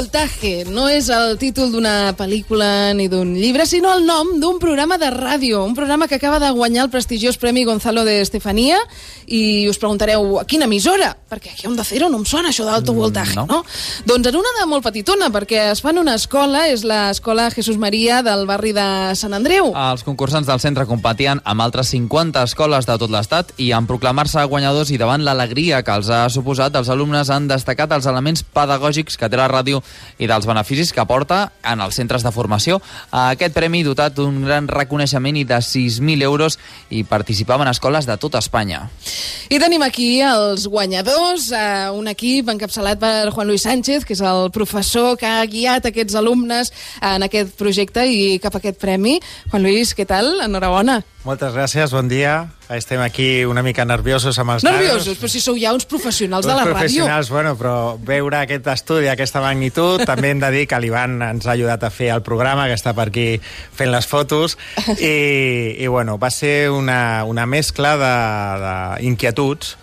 Voltaje no és el títol d'una pel·lícula ni d'un llibre, sinó el nom d'un programa de ràdio, un programa que acaba de guanyar el prestigiós Premi Gonzalo de Estefanía, i us preguntareu, a quina emissora? Perquè aquí a Onda Cero no em sona això d'Alto Voltaje, no? Doncs en una de molt petitona, perquè es fa en una escola, és l'escola Jesús Maria del barri de Sant Andreu. Els concursants del centre competien amb altres 50 escoles de tot l'estat i en proclamar-se guanyadors i davant l'alegria que els ha suposat, els alumnes han destacat els elements pedagògics que té la ràdio i dels beneficis que aporta en els centres de formació. Aquest premi dotat d'un gran reconeixement i de 6.000 euros i participaven escoles de tota Espanya. I tenim aquí els guanyadors, un equip encapçalat per Juan Luis Sánchez, que és el professor que ha guiat aquests alumnes en aquest projecte i cap a aquest premi. Juan Luis, què tal? Enhorabona. Moltes gràcies, bon dia. Estem aquí una mica nerviosos amb els nanos. Nerviosos? Però si sou ja uns professionals de la ràdio. Professionals, bueno, però veure aquest estudi, aquesta magnitud, també hem de dir que l'Ivan ens ha ajudat a fer el programa, que està per aquí fent les fotos, i bueno, va ser una mescla d'inquietuds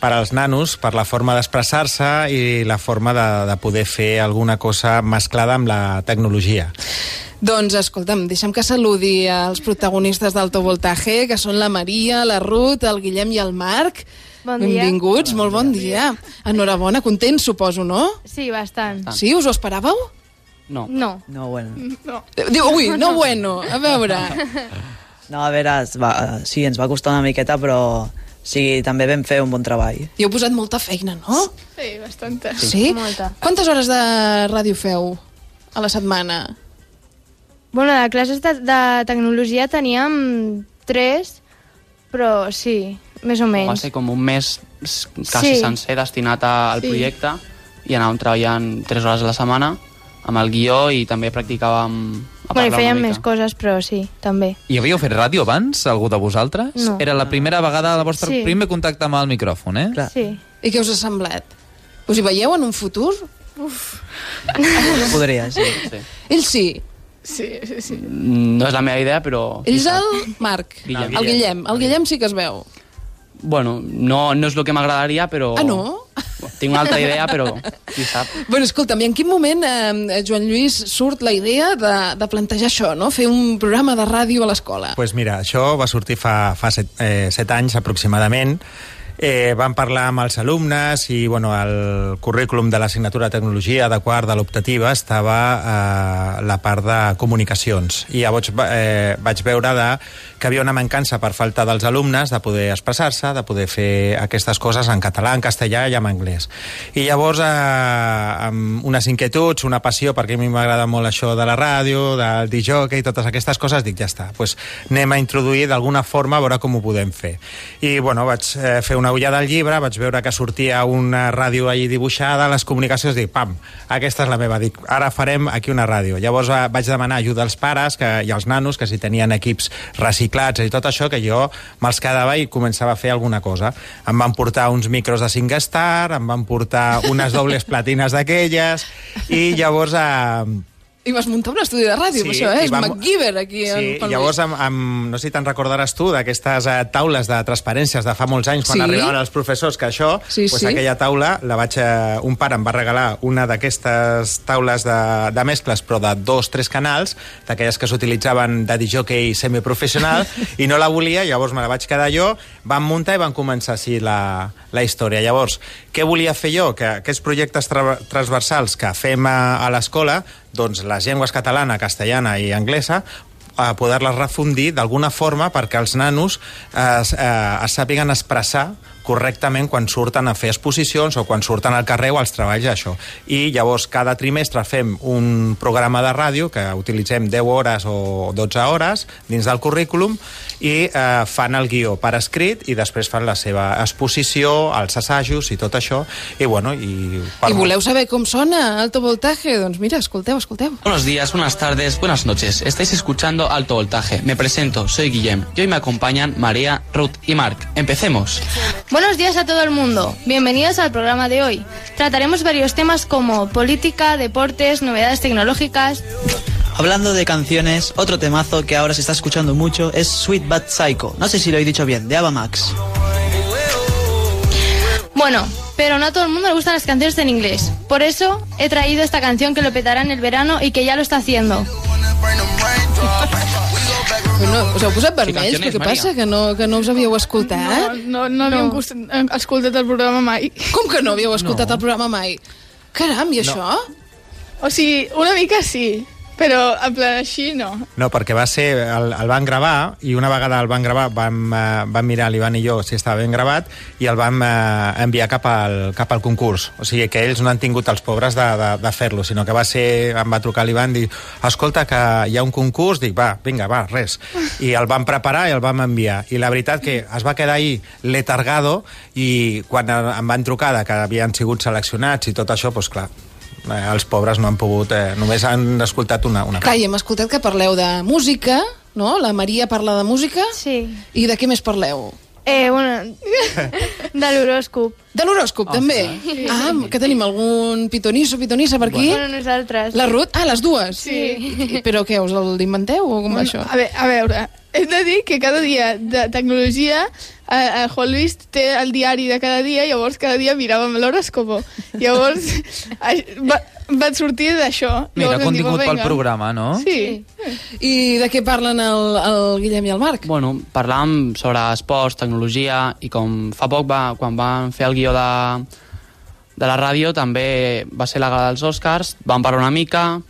per als nanos, per la forma d'expressar-se i la forma de poder fer alguna cosa mesclada amb la tecnologia. Doncs, escolta'm, deixa'm que saludi els protagonistes d'Alto Voltaje, que són la Maria, la Ruth, el Guillem i el Marc. Bon dia. Benvinguts, molt bon dia. Enhorabona, contents, suposo, no? Sí, bastant. Sí, us ho esperàveu? No. No, bueno. No. Diu, ui, no bueno, a veure. No, a veure, sí, ens va costar una miqueta, però sí, també vam fer un bon treball. I heu posat molta feina, no? Sí, bastanta. Sí? Molta. Quantes hores de ràdio feu a la setmana? Bueno, de classes de tecnologia teníem 3, però sí, més o menys. Va ser com un mes quasi sencer destinat al projecte i anàvem treballant 3 hores a la setmana amb el guió i també practicàvem a parlar i fèiem una mica. més coses, però sí, també. I havíeu fet ràdio abans, algú de vosaltres? No. Era la primera vegada del vostre primer contacte amb el micròfon, eh? Clar. Sí. I què us ha semblat? Us hi veieu en un futur? Podria, sí. Ells sí. Sí. No és la meva idea, però... Ells el Marc, Guillem. el Guillem. El Guillem sí que es veu. Bueno, no és el que m'agradaria, però... Ah, no? Tinc una altra idea, però qui sap. Bueno, escolta'm, i en quin moment, Joan Lluís, surt la idea de plantejar això, no? Fer un programa de ràdio a l'escola? Pues mira, això va sortir fa 7 anys aproximadament. Vam parlar amb els alumnes i bueno, el currículum de l'assignatura de tecnologia de quart de l'optativa estava la part de comunicacions i llavors vaig veure que havia una mancança per falta dels alumnes de poder expressar-se, de poder fer aquestes coses en català, en castellà i en anglès. I llavors amb unes inquietuds, una passió, perquè a mi m'agrada molt això de la ràdio, del disc-jockey i totes aquestes coses, dic, ja està, pues anem a introduir d'alguna forma a veure com ho podem fer. I bueno, vaig fer una ullada al llibre, vaig veure que sortia una ràdio allí dibuixada, les comunicacions, dic, pam, aquesta és la meva, dic, ara farem aquí una ràdio. Llavors vaig demanar ajuda als pares i als nanos, que si tenien equips reciclats i tot això, que jo me'ls quedava i començava a fer alguna cosa. Em van portar uns micros de SingStar, em van portar unes dobles platines d'aquelles, i llavors... I vas muntar un estudi de ràdio, Sí, això, és MacGyver, aquí. Sí, llavors, no sé si te'n recordaràs tu d'aquestes taules de transparències de fa molts anys, quan arribaven els professors, que això, aquella taula, un pare em va regalar una d'aquestes taules de mescles, però de 2-3 canals, d'aquelles que s'utilitzaven de disc-jockey semiprofessional, i no la volia, llavors me la vaig quedar jo, vam muntar i vam començar així la història. Llavors, què volia fer jo? Que aquests projectes transversals que fem a l'escola, doncs les llengües catalana, castellana i anglesa, a poder-les refundir d'alguna forma perquè els nanos es sàpiguen expressar correctament quan surten a fer exposicions o quan surten al carrer o als treballs d'això. I llavors cada trimestre fem un programa de ràdio que utilitzem 10 hores o 12 hores dins del currículum i fan el guió per escrit i després fan la seva exposició, els assajos i tot això. I bueno, I voleu saber com sona Alto Voltaje? Doncs mira, escolteu. Buenos días, buenas tardes, buenas noches. Estáis escuchando Alto Voltaje. Me presento, soy Guillem y hoy me acompañan María, Ruth y Marc. Empecemos. Buenos días a todo el mundo. Bienvenidos al programa de hoy. Trataremos varios temas como política, deportes, novedades tecnológicas. Hablando de canciones, otro temazo que ahora se está escuchando mucho es Sweet But Psycho. No sé si lo he dicho bien, de Ava Max. Bueno, pero no a todo el mundo le gustan las canciones en inglés. Por eso he traído esta canción que lo petará en el verano y que ya lo está haciendo. Bueno, us heu posat vermells, però què passa? Que no us havíeu escoltat? No havíem escoltat el programa mai. Com que no havíeu escoltat el programa mai? Caram, i això? O sigui, una mica sí, però en plan així no. No, perquè va ser... El van gravar, i una vegada el van gravar vam mirar l'Ivan i jo si estava ben gravat, i el vam enviar cap al concurs. O sigui que ells no han tingut els pobres de fer-lo, sinó que em va trucar l'Ivan i dir, escolta, que hi ha un concurs, dic, vinga, res. I el vam preparar i el vam enviar. I la veritat que es va quedar ahí letargado, i quan em van trucar que havien sigut seleccionats i tot això, doncs clar, els pobres no han pogut... només han escoltat una Clar, i hem escoltat que parleu de música, no? La Maria parla de música. Sí. I de què més parleu? Bueno, de l'horòscop. De l'horòscop, també? Sí. Que tenim algun pitonissa per aquí? Bueno, nosaltres. La Ruth? Les dues? Sí. Però què, us l'inventeu o com va això? A veure, hem de dir que cada dia de tecnologia a Hollis té el diari de cada dia, llavors cada dia miràvem l'horòscopo. Llavors va sortir d'això. Mira, contingut pel programa, no? Sí. I de què parlen el Guillem i el Marc? Bueno, parlàvem sobre esports, tecnologia, i com fa poc, quan van fer el guió de la ràdio, també va ser la gala dels Oscars, vam parlar una mica,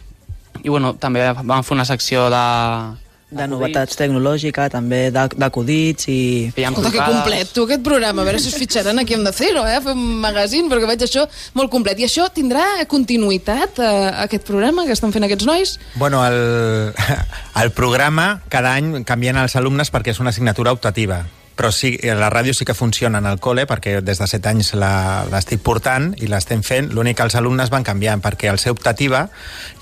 i bueno, també vam fer una secció de novetats tecnològiques, també d'acudits i... Escolta, que complet, tu, aquest programa. A veure si us fitxaran aquí Onda Cero, fer un magazín, perquè veig això molt complet. I això tindrà continuïtat, aquest programa que estan fent aquests nois? Bueno, el programa cada any canvien els alumnes perquè és una assignatura optativa. Però sí, la ràdio sí que funciona en el col·le, perquè des de 7 anys l'estic portant i l'estem fent. L'únic que els alumnes van canviant, perquè al ser optativa,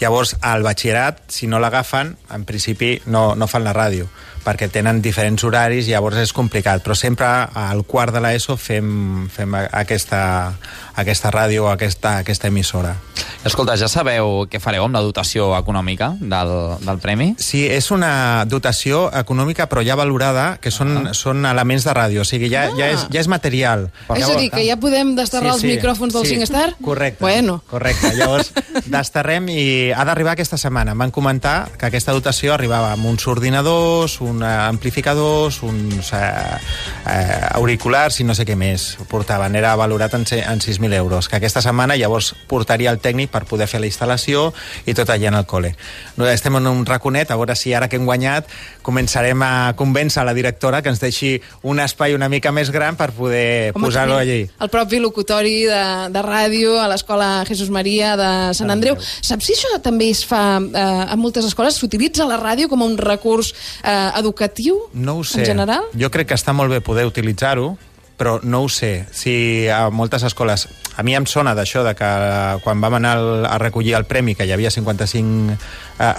llavors al batxillerat, si no l'agafen, en principi no fan la ràdio, perquè tenen diferents horaris i llavors és complicat. Però sempre al quart de l'ESO fem aquesta ràdio, aquesta emissora. Escolta, ja sabeu què fareu amb la dotació econòmica del premi? Sí, és una dotació econòmica però ja valorada, que són elements de ràdio, o sigui, ja és material. És a dir, que ja podem desterrar els micròfons del SingStar? Correcte, bueno. Correcte. Llavors, desterrem i ha d'arribar aquesta setmana. Em van comentar que aquesta dotació arribava amb uns ordinadors, uns amplificadors, uns auriculars i no sé què més portaven. Era valorat en 6.000 euros, que aquesta setmana llavors portaria el tècnic per poder fer la instal·lació i tot allà en el col·le. Estem en un raconet, a veure si ara que hem guanyat començarem a convèncer la directora que ens deixi un espai una mica més gran per poder posar-lo allí. El propi locutori de ràdio a l'escola Jesús Maria de Sant Andreu. Saps si això també es fa a moltes escoles? S'utilitza la ràdio com un recurs educatiu no ho sé. En general? Jo crec que està molt bé poder utilitzar-ho, però no ho sé. Si a moltes escoles... A mi em sona d'això, de que quan vam anar a recollir el premi, que hi havia 55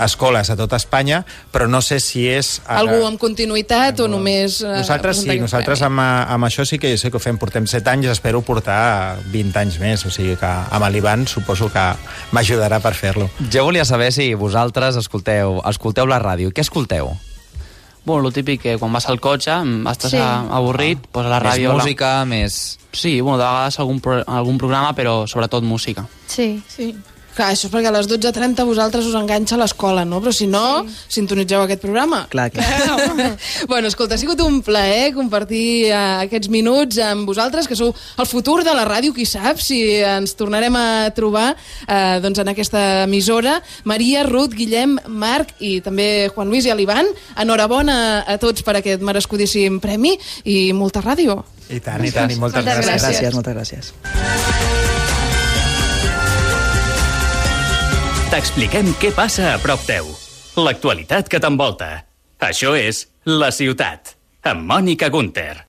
escoles a tot Espanya, però no sé si és... Algú amb continuïtat o només... Nosaltres sí, nosaltres amb això sí que ho fem. Portem 7 anys, espero portar 20 anys més, o sigui que amb l'Ivan suposo que m'ajudarà per fer-lo. Jo volia saber si vosaltres escolteu la ràdio. Què escolteu? Bueno, lo típic que quan vas al cotxe estàs avorrit, posa la ràdio... Més música, més... Sí, bueno, de vegades algun programa, però sobretot música. Sí. Clar, això és perquè a les 12:30 vosaltres us enganxa a l'escola, no? Però si no, sintonitzeu aquest programa. Clar. Bueno, escolta, ha sigut un plaer compartir aquests minuts amb vosaltres, que sou el futur de la ràdio, qui sap, si ens tornarem a trobar doncs en aquesta emissora. Maria, Ruth, Guillem, Marc i també Juan Luis i l'Ivan, enhorabona a tots per aquest merescudíssim premi i molta ràdio. I tant, i moltes gràcies. Moltes gràcies. T'expliquem què passa a prop teu. L'actualitat que t'envolta. Això és La Ciutat, amb Mònica Gunter.